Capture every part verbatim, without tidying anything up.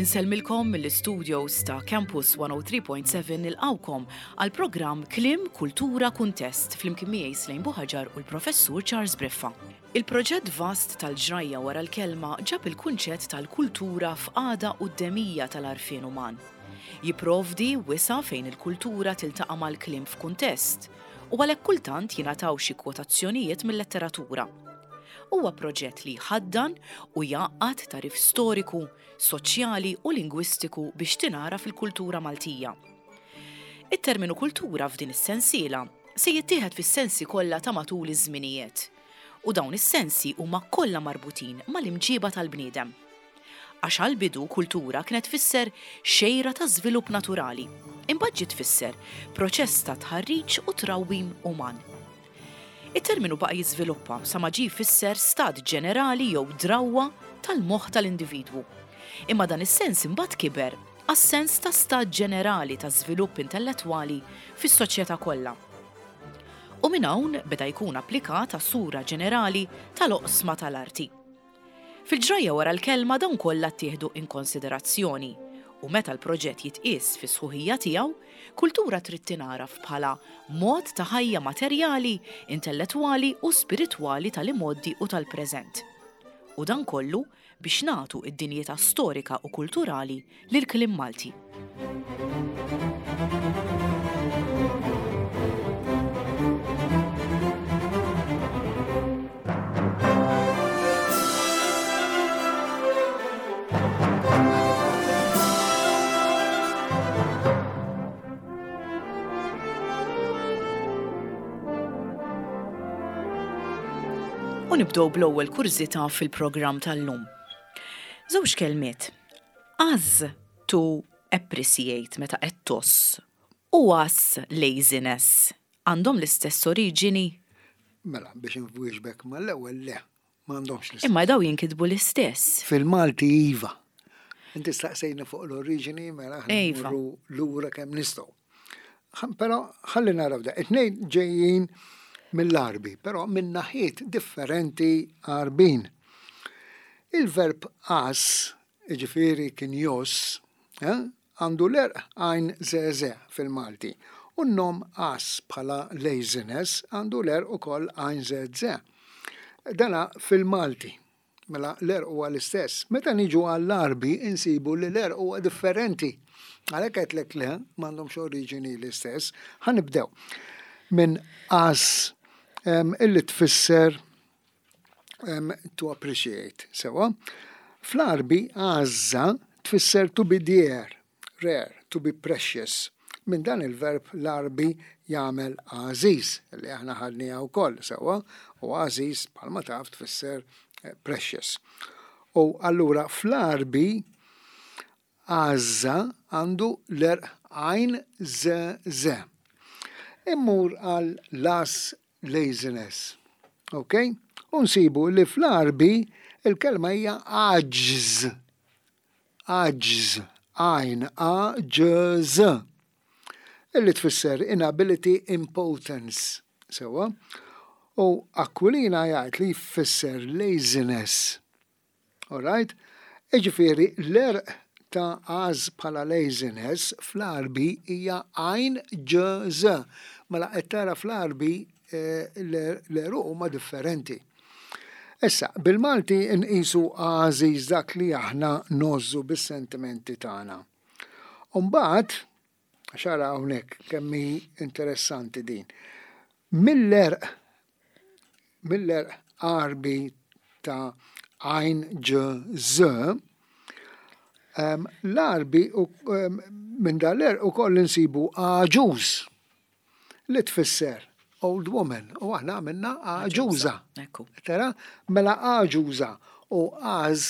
Insellmilkom mill-studios ta' Campus one oh three point seven, nilqgħukom għal programm Kliem, Kultura, Kuntest flimkien miegħi Slejn Buħaġar u l-Professur Charles Briffa. Il-proġett vast tal-ġrajja wara l-kelma ġab il-kunċett tal-kultura f'qagħda quddemija tal-għarfien uman. Jipprovdi wisa' fejn il-kultura tiltaqa' mal-kliem f'kuntest u għalhekk kultant jingħataw xi kwotazzjonijiet mill-letteratura. Huwa proġett li jħaddan u jgħaqqad tagħrif storiku, soċjali u lingwistiku biex tingħaraf il-kultura Maltija. It-terminu kultura f'din is-sensiela se jittieħed fis-sensi kollha ta' matul iż-żminijiet. U dawn is-sensi huma kollha marbutin mal-imġiba tal-bniedem. Għax għal-bidu kultura kienet tfisser xejra ta' żvilupp naturali, imbagħad ġiet tfisser proċess ta' tħarriġ u trawwim uman. Il-terminu baqa' jiżviluppa sa ma ġie jfisser stat ġenerali jew drawwa tal-moħħ tal-individwu. Imma dan is-sens imbagħad kiber għas-sens ta' stat ġenerali ta' żvilupp intellettwali fis-soċjetà kollha. U minn hawn beda jkun applikat għas-sura ġenerali tal-oqsma tal-arti. Fil-ġrajja wara l-kelma dawn kollha ttieħdu in konsiderazzjoni u meta l-proġett jitqies fis-sħuħija tiegħu, kultura trid tingħaraf bħala mod ta' ħajja materjali, intellettwali u spiritwali tal-imgħoddi u tal-preżent. U dan kollu biex nagħtu id-dinjità storika u kulturali lil kliem Malti. U nibdew bl-ewwel kurżità fil-programm tal-lum. Żewġ kelmiet. Għażż, to appreciate, meta qed tgħożż, u għażż, laziness, għandhom l-istess oriġini? Mela, biex nwieġbek mal-ewwel, le, m'għandhomx l-istess. Imma daw jinkitbu l-istess. Fil-Malti iva. Inti staqsejna fuq l-oriġini, mela aħna Iva. mmorru lura kemm nistgħu. Ħa- Però ħalli naraw da. It-tnejn ġejjin mill-Arbi, però minn naħiet differenti Arbin. Il-verb għażż, jiġifieri kien jgħożż, eh, għandu l-għerq għajn zeze fil-Malti. U n-nom għażż bħala laziness għandu l-għerq ukoll għajn zeze. Dana fil-Malti. Mela l-għerq huwa l-istess. Meta niġu għall-Arbi insibu li l-għerq huwa differenti. Għalhekk għedtlek le, m'għandhomx oriġini l-istess. Ħa nibdew minn għażż em, illi tfisser em, to appreciate. Sewa. Fl-Arbi għażża tfisser to be dear, rare, to be precious. Minn dan il-verb l-Arbi jagħmel għażiż, li aħna ħadniha wkoll sewa, u għażiż bħalma taf tfisser eh, precious. U allura fl-Arbi għażża għandu l-għerq għajn z z. Immur għal las, laziness. Ok? U nsibu li fl-Arbi il-kelma hija għaġż. Għaġż. Għajn A Ġ Z. Illi tfisser inability, impotence. Sewa. U Aquilina jgħid li jfisser laziness. Alright? Jiġifieri, l-għerq ta' għażż bħala laziness fl-Arbi hija għajn ġ z. Mela qed tara fl-Arbi eh, l-għeruq huma differenti. Issa, bil-Malti nqisu għażiż dak li aħna ngħożżu bis-sentimenti tagħna. Umbagħad, xara hawnhekk kemm hi interessanti din. Mill-għerq mill-għerq Arbi ta' għajn ġ z, em, l-Arbi u em, minn dal-għerq ukoll insibu għaġuż li tfisser old woman u aħna għamilna għaġuża. Ekku. Tara, mela għaġuża u għażż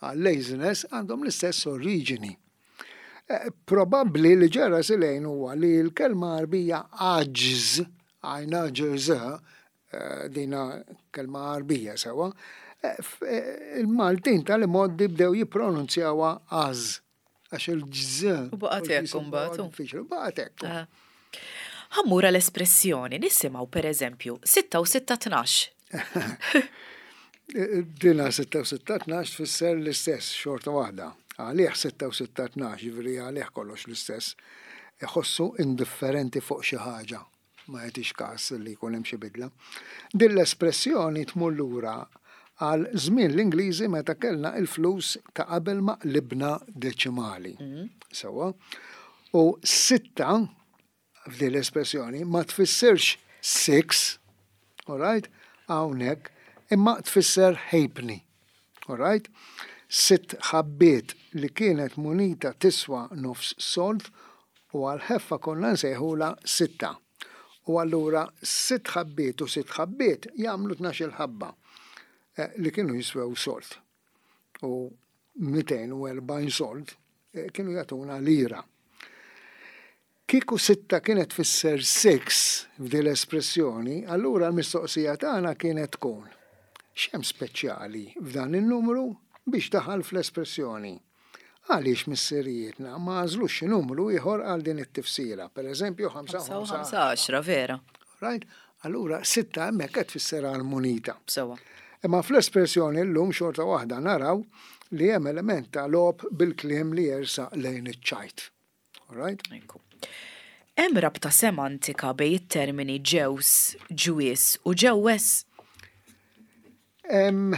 għal laziness għandhom l-istess oriġini. Eh, Probabbli li ġara silejn huwa li l-kelma Arbija għaġż, għajna ġ eh, dina kelma Arbija sewa, eh, f- eh, il-Maltin tal-imgħoddi bdew jippronunzjawha għażż għax il-ġż. U baqgħet hekk imbagħad, u. Diffiċli, baqgħet hekk. Ah. Ħa mmur l-espressjoni, nisimgħu per eżempju sitta u sitta tnax. Dina sitta u sitta tnax tfisser l-istess xorta waħda. Għalih sitta u sitta tnax, ġifieri għalih kollox l-istess. Iħossu indifferenti fuq xi ħaġa, ma jagħtix każ li jkun hemm xi bidla. Din l-espressjoni tmur lura għal żmien l-Ingliżi meta kellna il-flus ta' qabel ma qlibna deċimali. Sewwa. U sitta f'din l-espressjoni ma tfissirx six, all right, hawnhekk, imma tfisser halfpenny, all right? Sitt ħabbiet li kienet munita tiswa nofs sold u għal-ħeffa konna nsejħula sitta. U allura sitt ħabbiet u sitt ħabbiet jagħmlu tnax-il ħabba, eh, li kienu jiswew sold. U mitejn u erbgħin sold, eh, kienu jagħtuna lira. Kieku sitta kienet tfisser six f'din l-espressjoni, allura l-mistoqsija tagħna kienet tkun: x'hemm speċjali f'dan in-numru biex daħal fl-espressjoni? Għaliex missirijietna ma għażlux xi numru ieħor għal din it-tifsira, per eżempju ħamsa u ħamsa għaxra, vera. Right? Allura sitta hemmhekk qed tfisser għal munita. Sewwa. Imma fl-espressjoni llum xorta waħda naraw li hemm element ta' logħob bil-kliem li jersaq lejn iċ-ċajt. All right? Ekku. Hemm rabta semantika bejn it-termini ġews, ġwies u ġewwes? Em,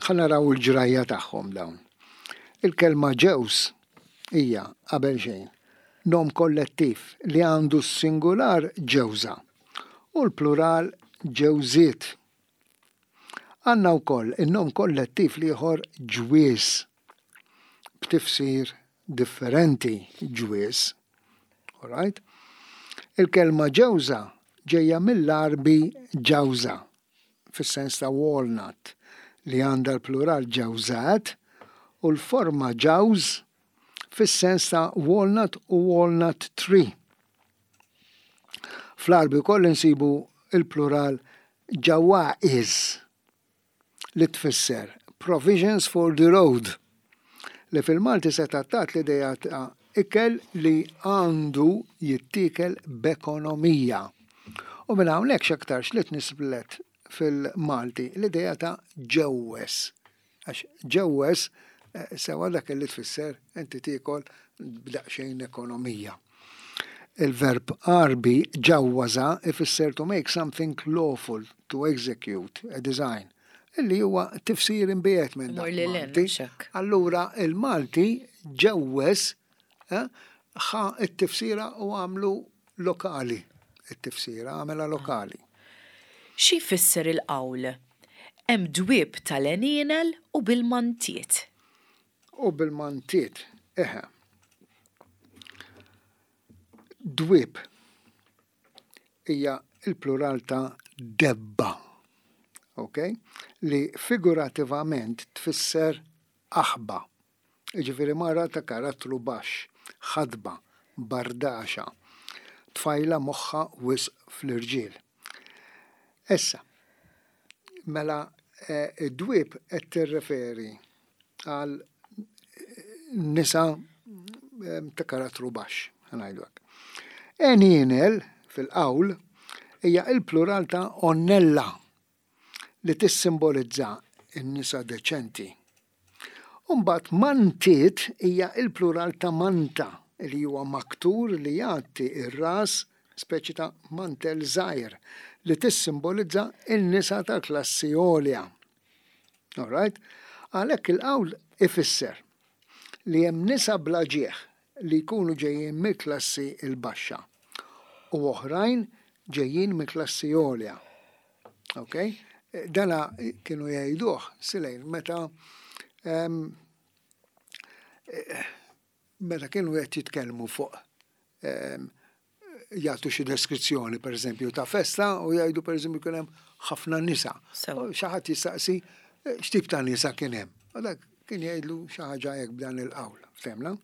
ħa naraw il-ġrajja tagħhom dawn. Il-kelma ġews hija qabel xejn nom kollettiv li għandu s-singular ġewża u l-plural ġewżiet. Għandna wkoll in-nom kollettiv l-ieħor ġwies b'tifsir differenti ġwies. All right? Il-kelma ġewża ġejja mill-Għarbi ġawża fis-sens ta' walnut li għandha l-plural ġawżat u l-forma ġawż fis-sens ta' walnut u walnut tree. Fl-Għarbi wkoll insibu il-plural ġawa'iż li tfisser provisions for the road li fil-Malti se tattat l-idea ta' ikel li għandu jittiekel b'ekonomija. U minn hawnhekk x'aktarx li tnisblet fil-Malti l-idea ta' ġewwes. Għax ġewwes, eh, sewa dak li tfisser inti tiekol b'daqsxejn ekonomija. Il-verb Għarbi ġawważa ifisser to make something lawful, to execute a design, illi huwa tifsir imbiegħed minn dak Mur lil hinn, Malti. mhux hekk. Allura il-Malti ġewwes, eh, ħa it-tifsira u għamlu lokali. It-tifsira għamela lokali. Xi jfisser il-qawl? Hemm dwieb tal-għenienel u bil-mantiet. U bil-mantiet, eħe. Dwieb hija il-plural ta' debba, ok? Li figurativament tfisser aħba. Jiġifieri mara ta' karattru baxx, ħadba, bardaxa, tfajla moħħa wisq fl-irġiel. Issa, mela, eh, id-dwieb qed tirreferi għal nisa, eh, ta' karattru baxx, ħa ngħidu hekk. Għenienel fil-qawl hija il-plural ta' onnella li tissimbolizza n-nisa deċenti. Umbagħad mantiet hija il-plural ta' manta li huwa maktur li jgħatti ir-ras, speċi ta' mantel żgħir li tissimbolizza n-nisa ta' klassi għolja. All right? Għalhekk il-qawl ifisser li hemm nisa bla ġieħ li jkunu ġejjin mill-klassi il-baxxa u oħrajn ġejjin mill-klassi għolja. Ok? Dana kienu jgħiduh silejn meta, em, meta kienu qed jitkellmu fuq, em, jagħtu xi deskrizzjoni pereżempju ta' festa u jgħidu pereżempju kien hemm ħafna nisa. Sewa. U xi ħadd jistaqsi, eh, x'tip ta' nisa kien hemm. U dak kien jgħidlu xi ħaġa hekk b'dan il-qawl. Ftemna?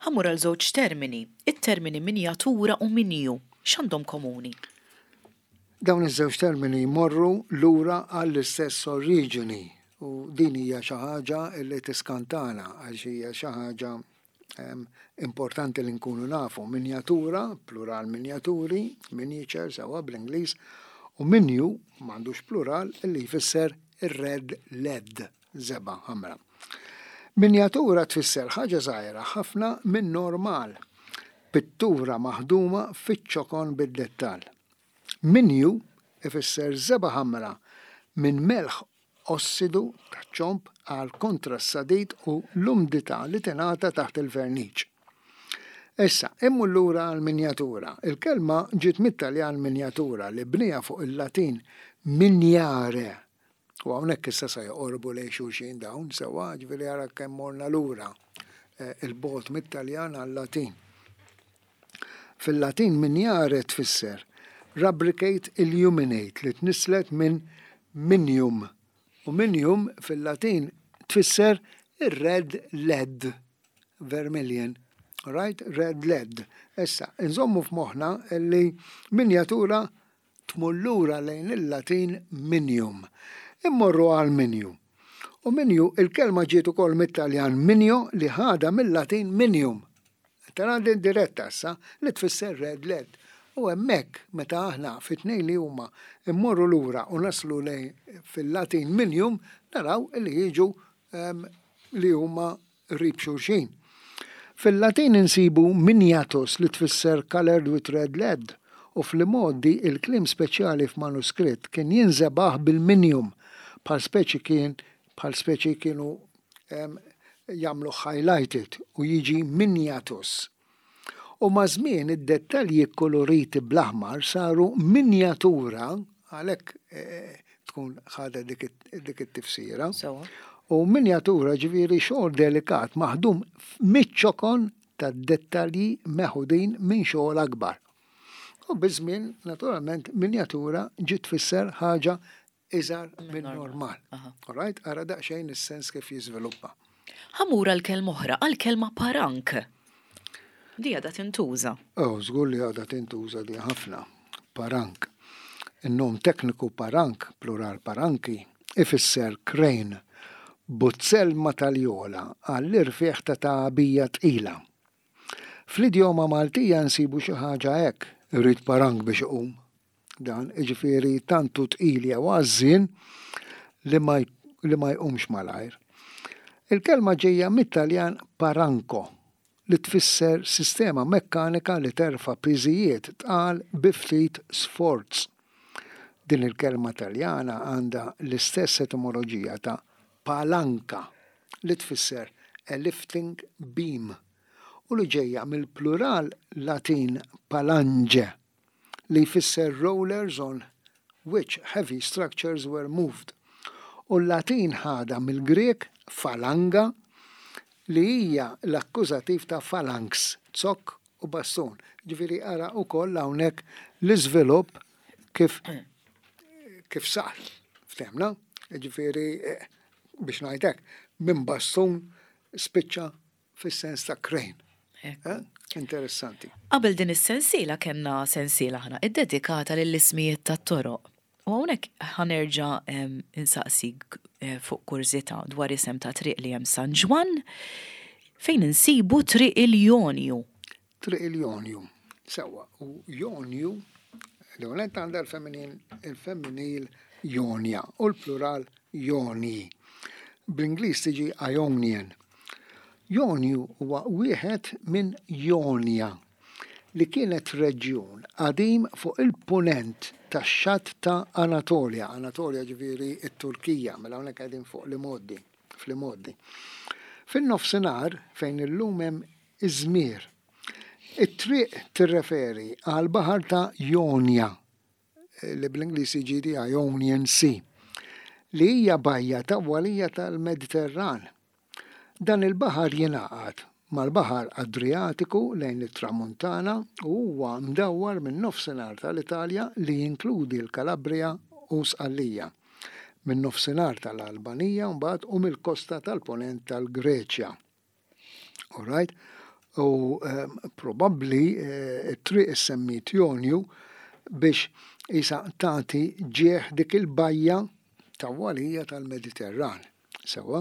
Ħa mmur għal żewġ termini, it-termini minjatura u minju, x'għandhom komuni? Dawn iż-żewġ termini jmorru lura għall-istess oriġini u din hija xi ħaġa li tiskantana għax hija xi ħaġa, em, importanti li nkunu nafu. Minjatura, plural minjaturi, miniature sewa bl-Ingliż, u minju m'għandux plural li jfisser ir-red lead, żebgħa ħamra. Minjatura tfisser ħaġa żgħira ħafna minn normal, pittura maħduma fiċ-ċokon bid-dettall. Minju ifisser żebgħa ħamra minn melħ ossidu taċ-ċomb għal kontra s-sadid u l-umdità li tingħata taħt il-verniċ. Issa, immur lura għal-minjatura. Il-kelma ġiet mit-Taljan miniatura li bniha fuq il-Latin miniare. U hawnhekk issa sa joqorbu lejn xulxin dawn, sewwa, ġifieri ara kemm morna lura eh, il-bogħod mit-Taljan għal-Latin. Fil-Latin miniare tfisser rubricate, illuminate, li tnislet minn minium. U minium fil-Latin tfisser ir-red lead, vermilion. Right? Red lead. Issa, nżommu f'moħħna li minjatura tmur lura lejn il-Latin minium. Immorru għal minju. U minju, il-kelma ġiet ukoll mit-Taljan minio li ħada mill-Latin minium. Tara din diretta issa li tfisser red lead. U hemmhekk meta aħna fit-tnejn li huma immorru lura u naslu lejn fil-Latin minium, naraw li jiġu em, li huma qrib xulxin. Fil-Latin insibu miniatus li tfisser colored with red lead u fl-modi il-kliem speċjali f'manuskritt kien jinżebaħ bil-minium bħal speċi kien bħal speċi kienu em, jagħmlu highlighted u jiġi miniatus. U ma' żmien id-dettalji koloriti bl-aħmar saru minjatura, għalhekk eh, tkun ħada dik it- dik it-tifsira. Sewwa. U minjatura ġifieri xogħol delikat maħdum miċ-ċokon ta' dettalji meħudin minn xogħol akbar. U biż-żmien, naturalment, minjatura ġiet tfisser ħaġa iżgħar minn normal. Aha. All right? Ara daqsxejn is-sens kif jiżviluppa. Ħa mmur għal kelma oħra, għal kelma parank. Di għadha tintuża. Oh, żgur li għadha tintuża di ħafna. Parank. Il-nom tekniku parank, plural paranki, ifisser crane, buzzell ma' taljola għall-irfieħ ta' tagħbija tqila. Fl-idjoma Maltija nsibu xi ħaġa hekk, irid parank biex iqum. Dan, iġifieri tantu tqil jew għażżien li ma li ma jqumx malajr. Il-kelma ġejja mit-Taljan paranco, li tfisser sistema mekkanika li terfa' piżijiet tqal bi ftit sforz. Din il-kelma Taljana għandha l-istess etimoloġija ta' palanca li tfisser a lifting beam u li ġejja mill-plural Latin palange li jfisser rollers on which heavy structures were moved. U l-Latin ħada mill-Grek falanga li hija l-akkużativ ta' phalanx, zokk u bastun. Ġifieri ara ukoll hawnhekk l-iżvilupp kif kif sar. Ftemna? Ġifieri eh, biex ngħidlek, minn bastun spiċċa fis-sens ta' crane. Eh? Interessanti. Qabel din is-sensiela kellna sensiela aħna iddedikata lill-ismijiet tat-toroq. U hawnhekk ħa nerġa' em, insaqsik eh, fuq kurżità dwar isem ta' triq li hemm San Ġwann fejn insibu Triq il-Jonju. Triq il-Jonju. Sewwa, u Jonju, l-għonet għandha l-feminin, il-femminil Jonja u l-plural Joni. Bl-Ingliż tiġi Ionian. Jonju huwa wieħed minn Jonja li kienet reġjun qadim fuq il-punent tax-xatt ta' Anatolia. Anatolia ġifieri it-Turkija, mela hawnhekk qegħdin fuq l-imgħoddi, fl-imgħoddi. Fin-nofsinhar fejn illum hemm Izmir. It-triq tirreferi għal baħar ta' Jonja, li bl-Ingliż jiġi the Ionian Sea, li hija bajja tawwalija tal-Mediterran. Dan il-baħar jingħaqad mal-Baħar Adriatiku lejn it-Tramuntana u huwa mdawwar minn nofsinhar tal-Italja li jinkludi l-Kalabria u Sqallija, minn nofsinhar tal-Albanija mbagħad u mill-kosta tal-ponent tal-Greċja. All right? U um, probabbli eh, it-triq issemmit Jonju biex isa tagħti ġieħ dik il-bajja tawwalija tal-Mediterran. Sewwa.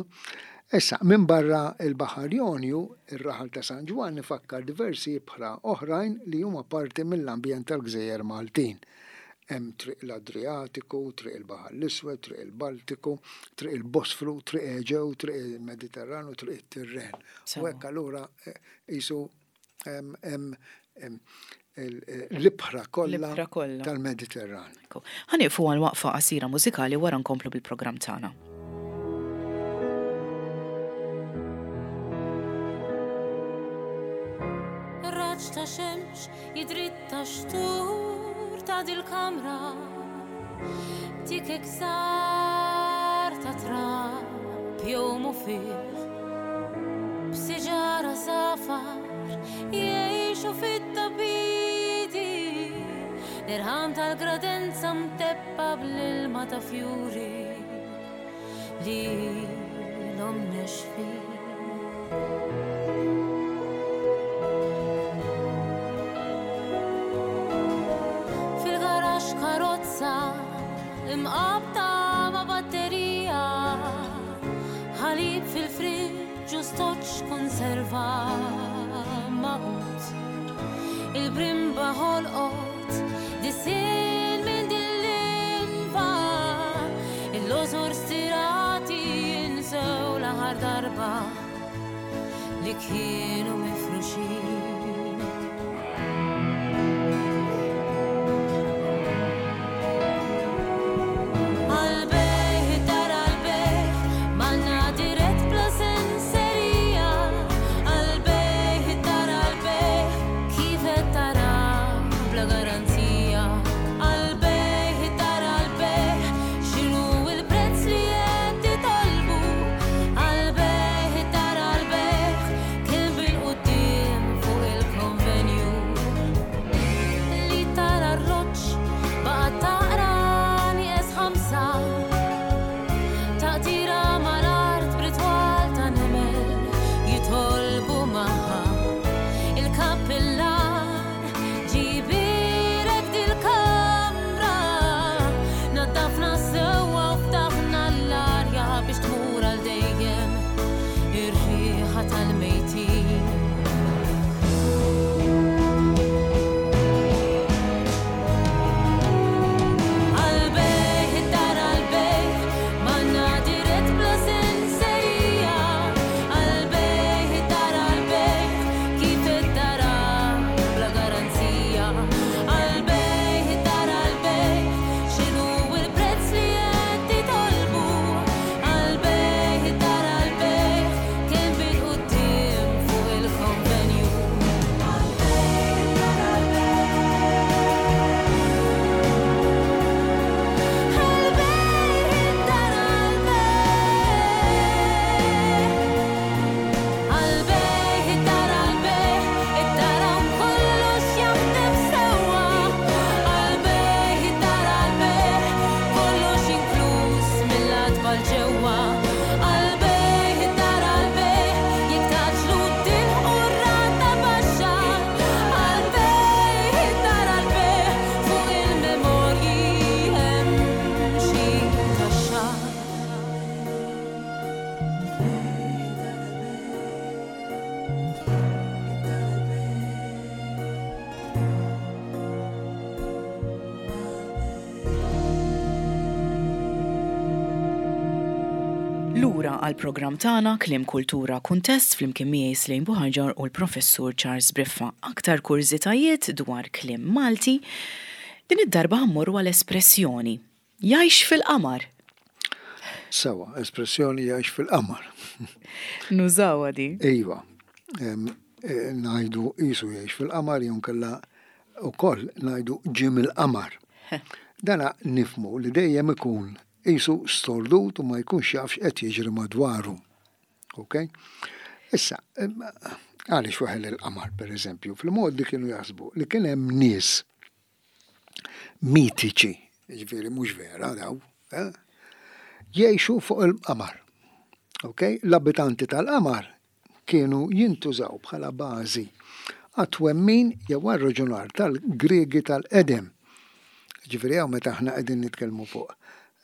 Issa, minn barra il-Baħar Jonju, ir-raħal ta' San Ġwann ifakkar diversi ibħra oħrajn li huma parti mill-ambjent tal-Gżejjer Maltin. Hemm triq l-Adriatiku, triq il-Baħar l-Iswed, triq il-Baltiku, triq il-Bosfru, triq Eġew, triq il-Mediterranu, triq it-Tirren. U hekk allura qisu hemm l-ibħra kollha tal-Mediterran. Ħa nieqfu għal waqfa qasira mużikali wara nkomplu bil-programm tagħna. Raġġ ta' xemx jidritta xtur ta' dil-kamra, tikek sar ta' trab jomu fih, b'siġara safar jgħixu fit-tabidi, l-irħam tal-gradenza mteppa bl-ilma ta' fjuri li l-om nexfin. Fil-garax karozza imqabta ma' batterija, ħalib fil-friġġ u stoċ konserva maqut, il-brimba ħolqot disin minn dil-linfa, il-lożor stirati jinsew l-aħħar darba li kienu mifruxin. Għal-bejħ, id-dar għal-bejħ, manna dirett bla senserija. Għal-bejħ, id-dar għal-bejħ, kif qed tara bla garanzija. Għal-bejħ, id-dar għal-bejħ, x'inhu l-prezz li qed titolbu. Għal-bejħ, id-dar għal-bejħ, kemm bil-quddiem fuq il-konvenju. Li tara r-roċ baqgħet taqra nieqes ħamsa, taqtira mal-art b'ritwal ta' nemel jitolbu magħha. Il-kappillan ġibirek dil-kamra, naddafna sewwa u ftaħna l-arja biex tmur għal dejjem ir-riħa tal-mejtin. Għal-bejħ, id-dar għal-bejħ, manna dirett bla senserija. Għal-bejħ, id-dar għal-bejħ, kif qed tara bla garanzija. Għal-bejħ, id-dar għal-bejħ, x'inhu l-prezz li qed titolbu. Għal-bejħ, id-dar għal-bejħ, kemm bil-quddiem fuq il-konvenju. Għal-bejħ, id-dar għal-bejħ, għal-bejħ, id-dar għal-bejħ. Għal-bejħ, id-dar għal-bejħ, id-dar hawn kollox jaħdem sewwa. Għal-bejħ, id-dar għal-bejħ, kollox inkluż mill-għatba l ġewwa. Għal-bejħ, id-dar għal-bejħ, jekk taġlu tilħqu r-rata baxxa. Għal-bejħ, id-dar għal-bejħ, fuq il-memorji hemm xi taxxa. Lura għal programm tagħna Kliem Kultura Kuntest flimkien miegħi Slejn Buħaġar u l-Professur Charles Briffa. Aktar kurżitajiet dwar kliem Malti, din id-darba ħammorru għal espressjoni. Jgħix fil-qamar. Sewa, espressjoni jgħix fil-qamar. Nużawha di. Iva, em, eh, ngħidu qisu jgħix fil-qamar jew inkella wkoll ngħidu ġie mill-qamar. Dana nifhmu li dejjem ikun qisu stordut u ma jkunx jaf x'qed jiġri madwaru. Ok? Issa, em, għaliex waħel il-qamar, per eżempju, fil-modi kienu jaħsbu li kien hemm nies mitiċi, jiġifieri mhux vera daw, eh? jgħixu fuq il-qamar. Ok? L-abitanti tal-qamar kienu jintużaw bħala bażi għat-twemmin jew għar-raġunar tal-Griegi tal-qedem. Ġifieri hawn meta aħna qegħdin nitkellmu fuq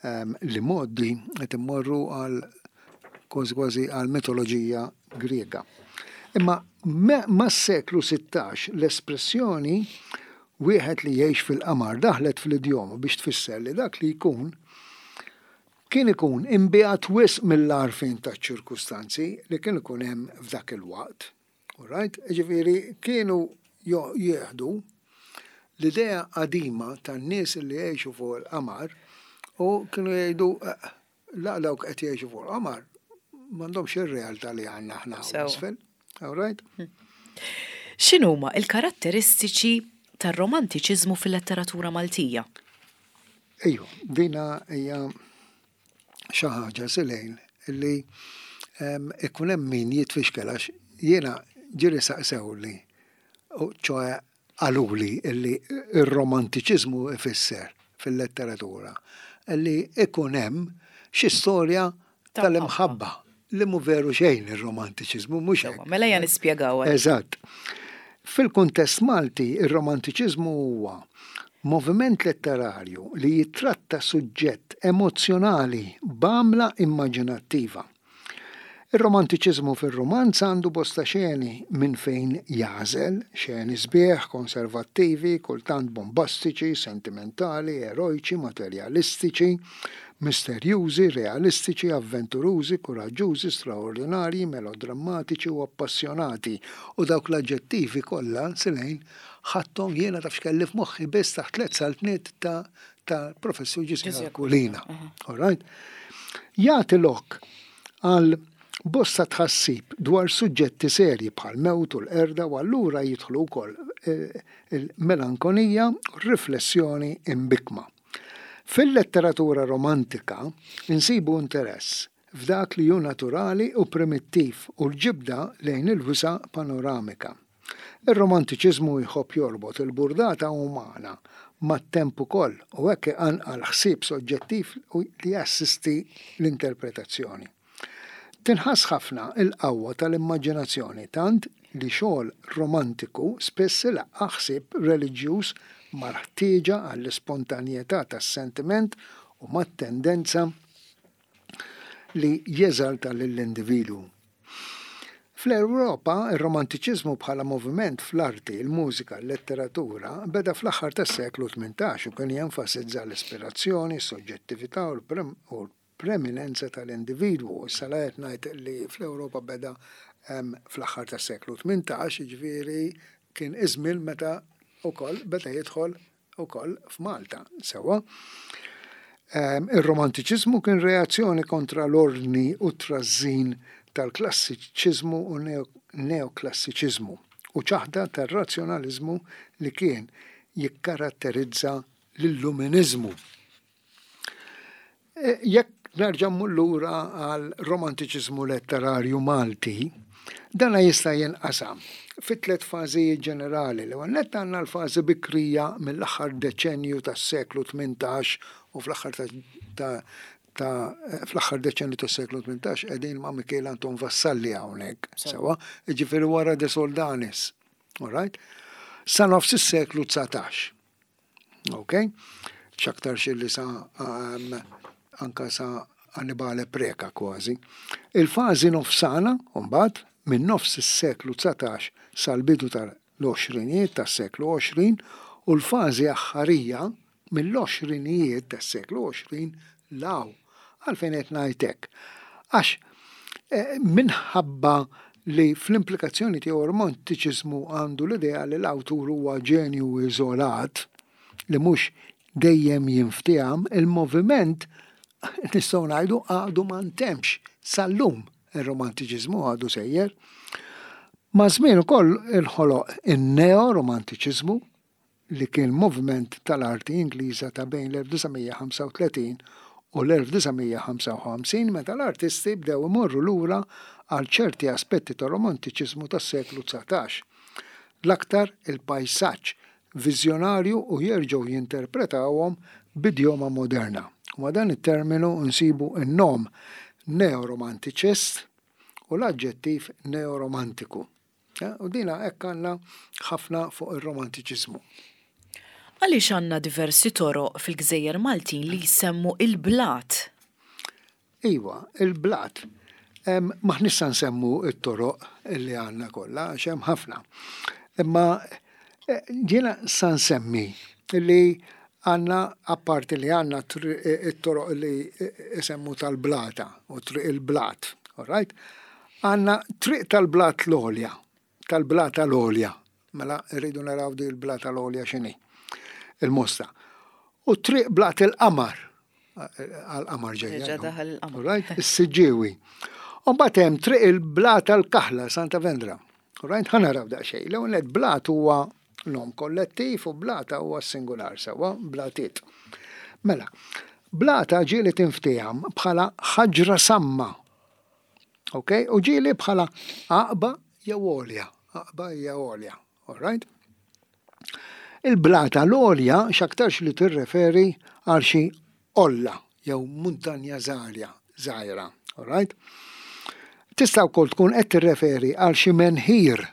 em, li modi qed immorru għal kważi kważi għal mitoloġija Griega. Imma mas-seklu sittax l-espressjoni Wieħed li jgħix fil-qamar daħlet fl-idjoma biex tfisser li dak li jkun kien ikun imbiegħed wisq mill-għarfien taċ-ċirkustanzi li kien ikun hemm f'dak il-waqt. All right? Ġifieri kienu jieħdu l-idea qadima tan-nies li jgħixu fuq il-qamar u kienu jgħidu eh, la, dawk qed jgħixu fuq il-qamar m'għandhomx ir-realtà li għandna aħna isfel. All right? Hm. X'inhuma il-karatteristiċi tar-romantiċiżmu fil-letteratura Maltija? Ejju, dina hija xi ħaġa, Silejn, li ikun hemm min jitfixkel għax jiena ġieli saqsewli, ċoè qaluli illi ir-romantiċiżmu ifisser fil-letteratura li ikun hemm xi storja tal-imħabba, li mhu veru xejn ir-romantiċiżmu, mhux hekk. Mela ejja nispjegaw. Eżatt. Fil-kuntest Malti, ir-romantiċiżmu huwa moviment letterarju li jitratta suġġett emozjonali b'għamla immaġinattiva. Ir-romantiċiżmu fir-romanz għandu bosta xeni minn fejn jagħżel, xeni sbieħ, konservattivi, kultant bombastiċi, sentimentali, erojċi, materjalistiċi, misterjużi, realistiċi, avventurużi, kuraġġużi, straordinarji, melodrammatiċi u appassjonati. U dawk l-aġġettivi kollha, Silejn, ħadthom jiena, taf x'kelli f'moħħi, biss taħt tliet saltniet ta' ta' professur Ġużè Aquilina. All right? Jagħti lok għal bosta tħassib dwar suġġetti serji bħal mewt u l-qerda u allura jidħlu wkoll eh, il-melankonija u riflessjoni imbikma. Fil-letteratura romantika insibu interess f'dak li hu naturali u primittiv u l-ġibda lejn il-wisa panoramika. Ir-romantiċiżmu jħobb jorbot il-burdata umana mat-temp ukoll u hekk iqanqal ħsieb soġġettiv li jassisti l-interpretazzjoni. Tinħass ħafna il-qawwa tal-immaġinazzjoni, tant li xogħol romantiku spiss ilaqqa' ħsieb reliġjuż mal-ħtieġa għall-ispontanjetà tas-sentiment u mat-tendenza li jeżalta lill-individwu. Fl-Ewropa, ir-romantiċiżmu bħala moviment fl-arti, il-mużika, l-letteratura beda fl-aħħar tas-seklu tmintax u kien jenfasizza l-ispirazzjoni, s-soġġettività u l-preminenza tal-individwu. Issa la qed ngħid li fl-Ewropa beda fl-aħħar tas-seklu tmintax, jiġifieri kien iż-żmien meta wkoll beda jidħol ukoll f'Malta. Sewwa. Ir-romantiċiżmu kien reazzjoni kontra l-ordni u trażżin tal-klassiċiżmu u neoklassiċiżmu u ċaħda tar-razzjonaliżmu li kien jikkaratterizza l-illuminizmu. E, jekk nerġa' lura għal romantiċiżmu letterarju Malti, dana jista' jinqasam fi tliet fażijiet ġenerali. L-ewwel nett għandna l-fażi bikrija mill-aħħar deċenju tas-seklu tmintax u fl-aħħar ta' ta' fl-aħħar deċenju tas-seklu tmintax qegħdin ma' Mikiel Anton Vassalli hawnhekk, sewwa, jiġifieri wara De Soldanis. All right? Sa nofs is-seklu dsatax. Ok? X'aktarx li sa um, anka sa Annibale Preca kważi. Il-fażi nofsana, mbagħad, minn nofs is-seklu dsatax sal-bidu tal-għoxrinijiet tas-seklu għoxrin u l-fażi aħħarija mill-għoxrinijiet tas-seklu għoxrin 'l hawn. Għalfejn qed ngħid hekk? Għax eh, minħabba li fl-implikazzjoni tiegħu romantiċiżmu għandu l-idea li l-awtur huwa ġenju iżolat li mhux dejjem jinfteham, il-moviment nistgħu ngħidu għadu ma ntemx sal-lum, ir-romantiċiżmu għadu sejjer. Ma' żmien ukoll inħoloq in-neo-romantiċiżmu li kien moviment tal-arti Ingliża ta' bejn l-elf disa' mija ħamsa u tletin u l-elf disa' mija ħamsa u ħamsin, meta l-artisti bdew imorru lura għal ċerti aspetti ta' romantiċiżmu tas-seklu dsatax. L-aktar il-pajsaġġ viżjonarju, u jerġgħu jinterpretawhom b'idjoma moderna. U ma' dan it-terminu nsibu n-nom neoromantiċist u l-aġġettiv neoromantiku. Ja, u dina hekk għandna ħafna fuq ir-romantiċiżmu. Għaliex għandna diversi toroq fil-Gżejjer Maltin li jsemmu il-blat? Iwa, il-blat. M'aħniex sa nsemmu it-toroq li għandna kollha, għax hemm ħafna. Imma Eh, Jiena sa nsemmi li għandna, apparti li għandna it-toroq li isemmu tal-Blata u Triq il-Blat, all right? Għandna Triq tal-Blat l-Għolja, tal-Blata l-Għolja. Mela rridu naraw di l-Blata l-Għolja x'inhi. Il-Mosta. U Triq Blat il-Qamar, għal-qamar ġejja. Ġa daħal il-qamar. All right? Is-Siġġiewi. U mbagħad hemm Triq il-Blata l-Kaħla, Santa Vendra. All right? Ħa naraw daqsxejn. L-ewwel blat huwa nom kollettiv u blata huwa singular sewwa, blatiet. Mela, blata ġieli tinftiehem bħala ħaġra samma. Ok? U ġieli bħala għaqba jew għolja. Għaqba hija għolja. All right? Il-blata l-għolja x'aktarx li tirreferi għal xi olla jew muntanja żgħira, żgħira. All right? Tista' wkoll tkun qed tirreferi għal xi menħir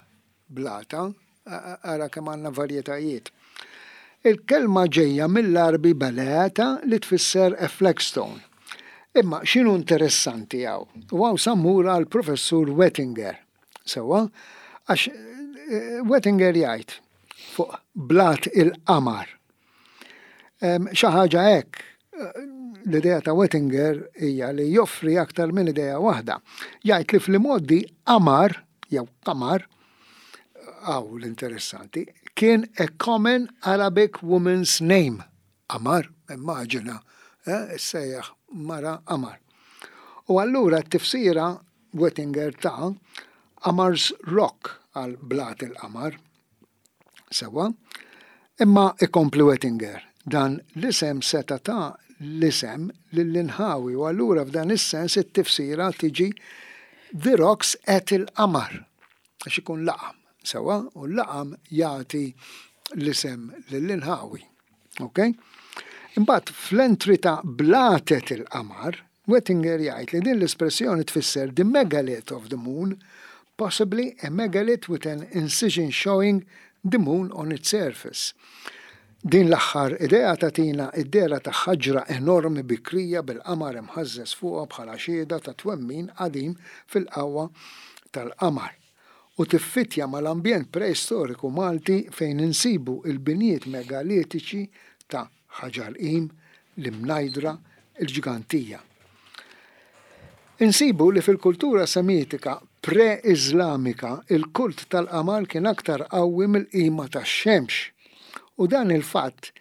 blata, ara kemm għandna varjetajiet. Il-kelma ġejja mill-Għarbi balata li tfisser a flagstone. Imma x'inhu interessanti hawn? U hawn sa mmur għal professur Wettinger. Sewwa, għax eh, Wettinger jgħid fuq Blat il-Qamar. Xi ħaġa hekk, eh, l-idea ta' Wettinger hija li joffri aktar minn idea waħda. Jgħid li fl-modi qamar jew qamar, hawn l-interessanti, kien a common Arabic woman's name. Qamar, immaġina, eh, sejjaħ mara Qamar. U allura t-tifsira Wettinger ta' Qamar's Rock għal Blat il-Qamar. Sewwa, imma ikompli Wettinger, dan l-isem seta ta' l-isem lill-inħawi u allura f'dan is-sens it-tifsira tiġi The Rocks at il-Qamar, għax ikun laqam, sewwa, u l-laqam jagħti l-isem lill-inħawi. Ok? Imbagħad fl-entry ta' Blatet il-Qamar, Wettinger jgħid li din l-espressjoni tfisser the megalith of the moon, possibly a megalith with an incision showing the moon on its surface. Din l-aħħar idea tagħtina id-dehra ta' ħaġra enormi bikrija bil-qamar imħażżeż fuqha bħala xhieda ta' twemmin qadim fil-qawwa tal-qamar. U tiffitja mal-ambjent preistoriku Malti fejn insibu il-binijiet megalitiċi ta' Ħaġar Qim, l-Imnajdra, il-Ġgantija. Insibu li fil-kultura semitika pre-Islamika il-kult tal-qamar kien aktar qawwi mill-qima tax-xemx. U dan il-fatt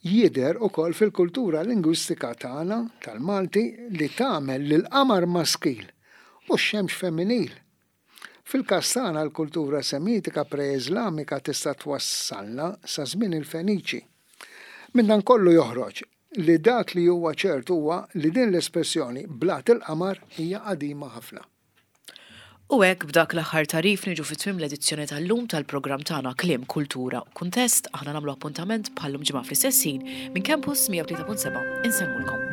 jidher ukoll fil-kultura lingwistika tagħna tal-Malti li tagħmel lil qamar maskil u x-xemx femminil. Fil-każ tagħna l-kultura semitika pre-Islamika tista' twassalna sa żmien il-Feniċi. Minn dan kollu joħroġ li dak li huwa ċert huwa li din l-espressjoni Blat il-Qamar hija qadima ħafna. U hekk b'dak l-aħħar tagħrif niġu fi tmiem l-edizzjoni tal-lum tal-programm tagħna Kliem, Kultura u Kuntest. Aħna nagħmlu appuntament bħallum ġimgħa fl-istess ħin minn Campus mija u tlieta punt sebgħa. Insellmulkom.